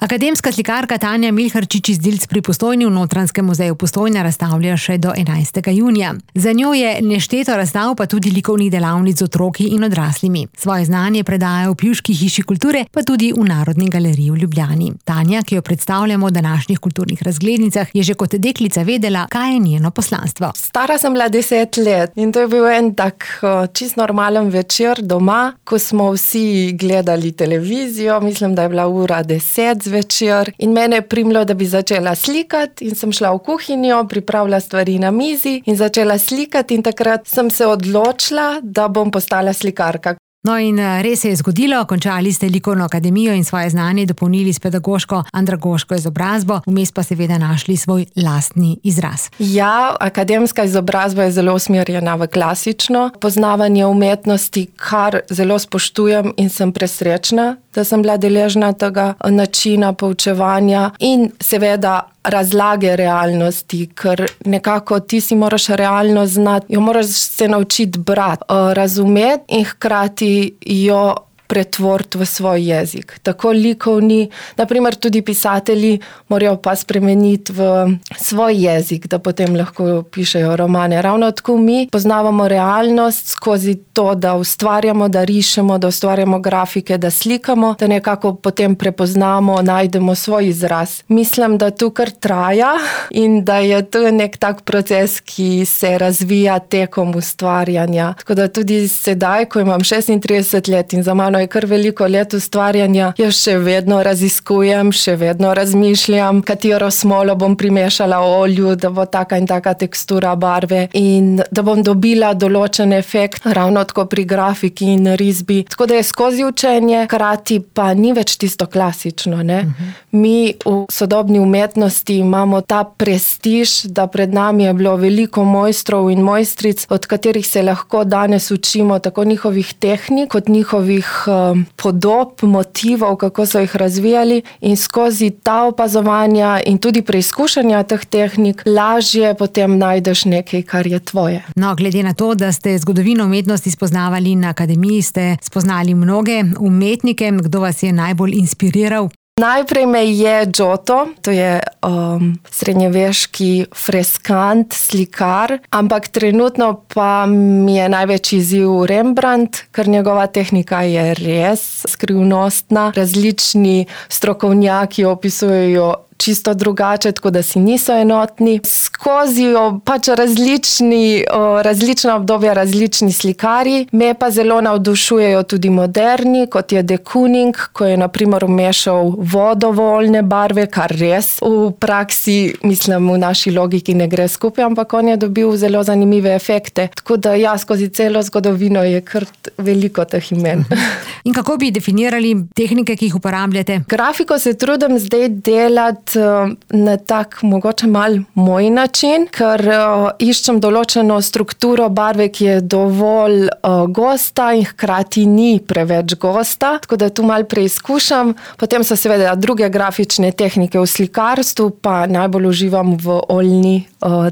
Akademska slikarka Tanja Milharčič iz Dilc pri Postojni v Notranjskem muzeju Postojna razstavlja še do 11. junija. Za njo je nešteto razstav, pa tudi likovnih delavnic z otroki in odraslimi. Svoje znanje predaja v Pivški hiši kulture, pa tudi v Narodni galeriji v Ljubljani. Tanja, ki jo predstavljamo v današnjih kulturnih razglednicah, je že kot deklica vedela, kaj je njeno poslanstvo. Stara sem bila 10 let in to je bil en tak čist normalen večer doma, ko smo vsi gledali televizijo, mislim, da je bila ura 10 zvečer in mene je primilo, da bi začela slikati in sem šla v kuhinjo, pripravila stvari na mizi in začela slikati in takrat sem se odločila, da bom postala slikarka. No in res se je zgodilo, končali ste likovno akademijo in svoje znanje dopolnili s pedagoško andragoško izobrazbo, vmes pa seveda našli svoj lastni izraz. Ja, akademska izobrazba je zelo usmerjena v klasično poznavanje umetnosti, kar zelo spoštujem in sem presrečna, da sem bila deležna tega načina poučevanja in seveda razlage realnosti, ker nekako ti si moraš realnost znati, jo moraš se naučiti brati, razumeti in hkrati jo pretvoriti v svoj jezik. Tako likovni, naprimer tudi pisatelji morajo pa spremeniti v svoj jezik, da potem lahko pišejo romane. Ravno tako mi poznavamo realnost skozi to, da ustvarjamo, da rišemo, da ustvarjamo grafike, da slikamo, da nekako potem prepoznamo, najdemo svoj izraz. Mislim, da to kar traja in da je to nek tak proces, ki se razvija tekom ustvarjanja. Tako da tudi sedaj, ko imam 36 let in za mano je kar veliko let ustvarjanja, jaz še vedno raziskujem, še vedno razmišljam, katero smolo bom primešala olju, da bo taka in taka tekstura barve in da bom dobila določen efekt, ravno tako pri grafiki in risbi. Tako da je skozi učenje, hkrati pa ni več tisto klasično, ne? Mi v sodobni umetnosti imamo ta prestiž, da pred nami je bilo veliko mojstrov in mojstric, od katerih se lahko danes učimo tako njihovih tehnik, kot njihovih podob, motivov, kako so jih razvijali in skozi ta opazovanja in tudi preizkušanja teh tehnik lažje potem najdeš nekaj, kar je tvoje. No, glede na to, da ste zgodovino umetnosti spoznavali na akademiji, ste spoznali mnoge umetnike, kdo vas je najbolj inspiriral? Najprej me je Giotto, to je srednjeveški freskant, slikar, ampak trenutno pa mi je največji izziv Rembrandt, ker njegova tehnika je res skrivnostna. Različni strokovnjaki opisujejo čisto drugače, tako da si niso enotni. Skozi pač različna obdobja, različni slikarji. Me pa zelo navdušujejo tudi moderni, kot je de Kooning, ko je na primer vmešal vodovoljne barve, kar res v praksi, mislim, v naši logiki ne gre skupaj, ampak on je dobil zelo zanimive efekte. Tako da ja, skozi celo zgodovino je kar veliko teh imen. In kako bi definirali tehnike, ki jih uporabljate? Grafiko se trudim zdaj delati na tak mogoče mal moj način, ker iščem določeno strukturo barve, ki je dovolj gosta in hkrati ni preveč gosta, tako da tu mal preizkušam. Potem so seveda druge grafične tehnike v slikarstvu, pa najbolj uživam v oljni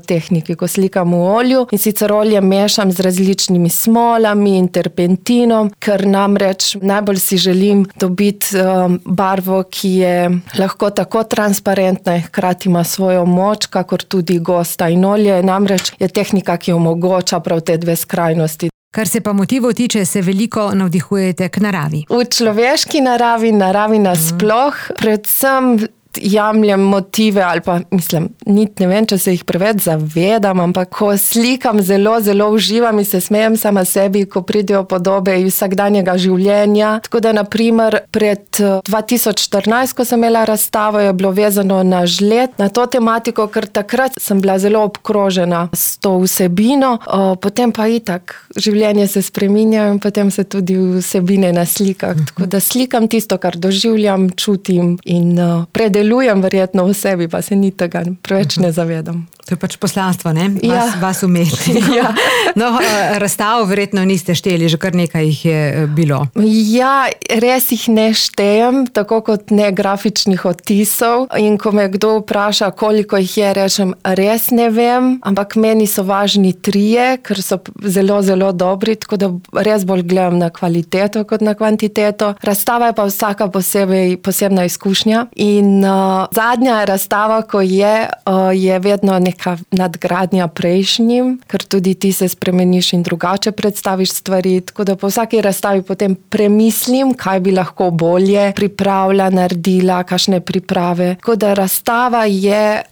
tehniki, ko slikam v olju in sicer olje mešam z različnimi smolami in terpentinom, ker namreč najbolj si želim dobiti barvo, ki je lahko tako transparentna in hkrati ima svojo moč, kakor tudi gosta. In olje namreč je tehnika, ki omogoča prav te dve skrajnosti. Kar se pa motivov tiče, se veliko navdihujete k naravi. V človeški naravi nasploh, predvsem jemljem motive ali pa mislim, ne vem, če se jih preveč zavedam, ampak ko slikam, zelo uživam in se smejem sama sebi, ko pridejo podobe iz vsakdanjega življenja. Tako da, na primer, pred 2014, ko sem imela razstavo, je bilo vezano na žled, na to tematiko, ker takrat sem bila zelo obkrožena s to vsebino, potem pa itak življenje se spreminja in potem se tudi vsebine na slikah. Tako da slikam tisto, kar doživljam, čutim in predelujem verjetno v sebi, pa se ni tega preveč ne zavedam. To je pač poslanstvo, ne? Ja. Vas umetnikov. Ja. No, razstav verjetno niste šteli, že kar nekaj jih je bilo. Ja, res jih ne štejem, tako kot ne grafičnih odtisov. In ko me kdo vpraša, koliko jih je, rečem, res ne vem, ampak meni so važni 3, ker so zelo, zelo dobri, tako da res bolj gledam na kvaliteto kot na kvantiteto. Razstava je pa vsaka posebna izkušnja. In zadnja razstava, ko je vedno neka nadgradnja prejšnjim, ker tudi ti se spremeniš in drugače predstaviš stvari, tako da po vsaki razstavi potem premislim, kaj bi lahko bolje pripravila, naredila, kakšne priprave. Tako da razstava je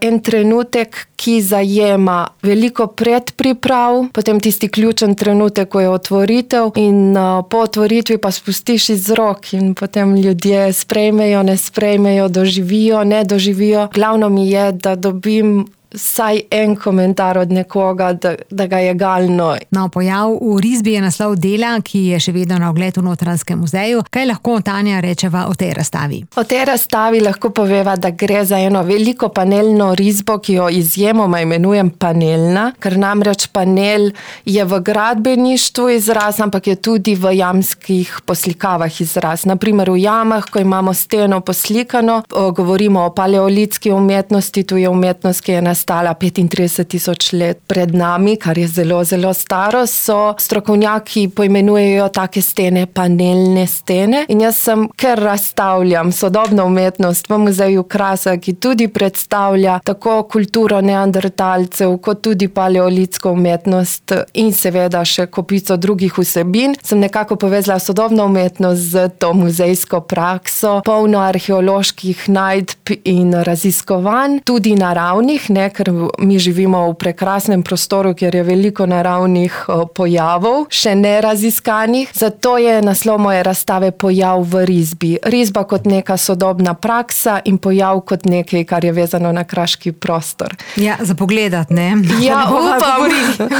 en trenutek, ki zajema veliko predpriprav, potem tisti ključen trenutek, ko je otvoritev in po otvoritvi pa spustiš iz rok in potem ljudje sprejmejo, ne sprejmejo, doživijo, ne doživijo. Glavno mi je, da dobim vsaj en komentar od nekoga, da ga je galno. No, pojav v risbi je naslov dela, ki je še vedno na ogled v Notranjskem muzeju. Kaj lahko Tanja rečeva o tej razstavi? O tej razstavi lahko poveva, da gre za eno veliko panelno risbo, ki jo izjemoma imenujem panelna, ker namreč panel je v gradbeništvu izraz, ampak je tudi v jamskih poslikavah izraz. Naprimer v jamah, ko imamo steno poslikano, govorimo o paleolitski umetnosti, tu je umetnost, ki je nastala 35.000 let pred nami, kar je zelo, zelo staro, so strokovnjaki poimenujejo take stene panelne stene. In jaz ker razstavljam sodobno umetnost v muzeju Krasa, ki tudi predstavlja tako kulturo neandertalcev, kot tudi paleolitsko umetnost in seveda še kopico drugih vsebin, sem nekako povezala sodobno umetnost z to muzejsko prakso, polno arheoloških najdb in raziskovanj, tudi naravnih, ker mi živimo v prekrasnem prostoru, kjer je veliko naravnih pojavov, še ne raziskanih. Zato je naslov moje razstave Pojav v risbi. Risba kot neka sodobna praksa in pojav kot nekaj, kar je vezano na kraški prostor. Ja, za pogledat, ne? Ja, upam.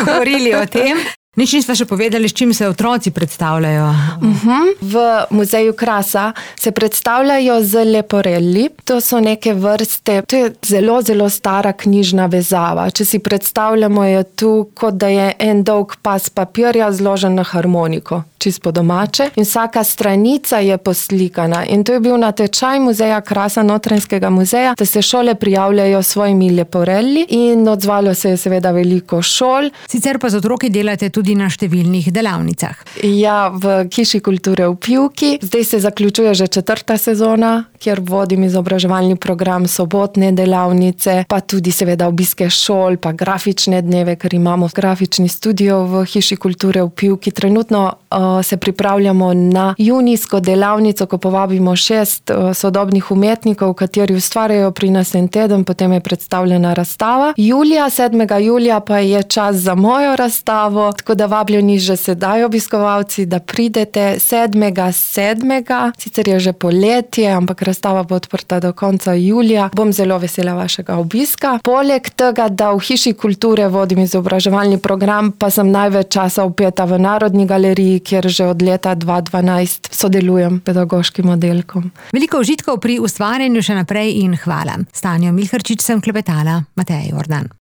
Govorili o tem. Nič nisva še povedali, s čim se otroci predstavljajo. V muzeju Krasa se predstavljajo z leporelli. To so neke vrste, to je zelo, zelo stara knjižna vezava. Če si predstavljamo, je tu, kot da je en dolg pas papirja zložen na harmoniko, čisto domače. In vsaka stranica je poslikana. In to je bil natečaj muzeja Krasa, Notranjskega muzeja, da se šole prijavljajo s svojimi leporelli in odzvalo se je seveda veliko šol. Sicer pa z otroki delate tudi na številnih delavnicah. Ja, v Hiši kulture v Pivki. Zdaj se zaključuje že 4. sezona, kjer vodim izobraževalni program, sobotne delavnice, pa tudi seveda obiske šol, pa grafične dneve, ker imamo grafični studio v Hiši kulture v Pivki. Trenutno se pripravljamo na junijsko delavnico, ko povabimo 6 sodobnih umetnikov, kateri ustvarjajo pri nas en teden, potem je predstavljena razstava. 7. julija pa je čas za mojo razstavo, tako da vabljeni že sedaj obiskovalci, da pridete 7.7. Sicer je že poletje, ampak razstava bo odprta do konca julija. Bom zelo vesela vašega obiska. Poleg tega, da v Hiši kulture vodim izobraževalni program, pa sem največ časa vpeta v Narodni galeriji, kjer že od leta 2012 sodelujem pedagoškim oddelkom. Veliko užitkov pri ustvarjanju še naprej in hvala. S Tanjo Milharčič sem klepetala. Mateja Jordan.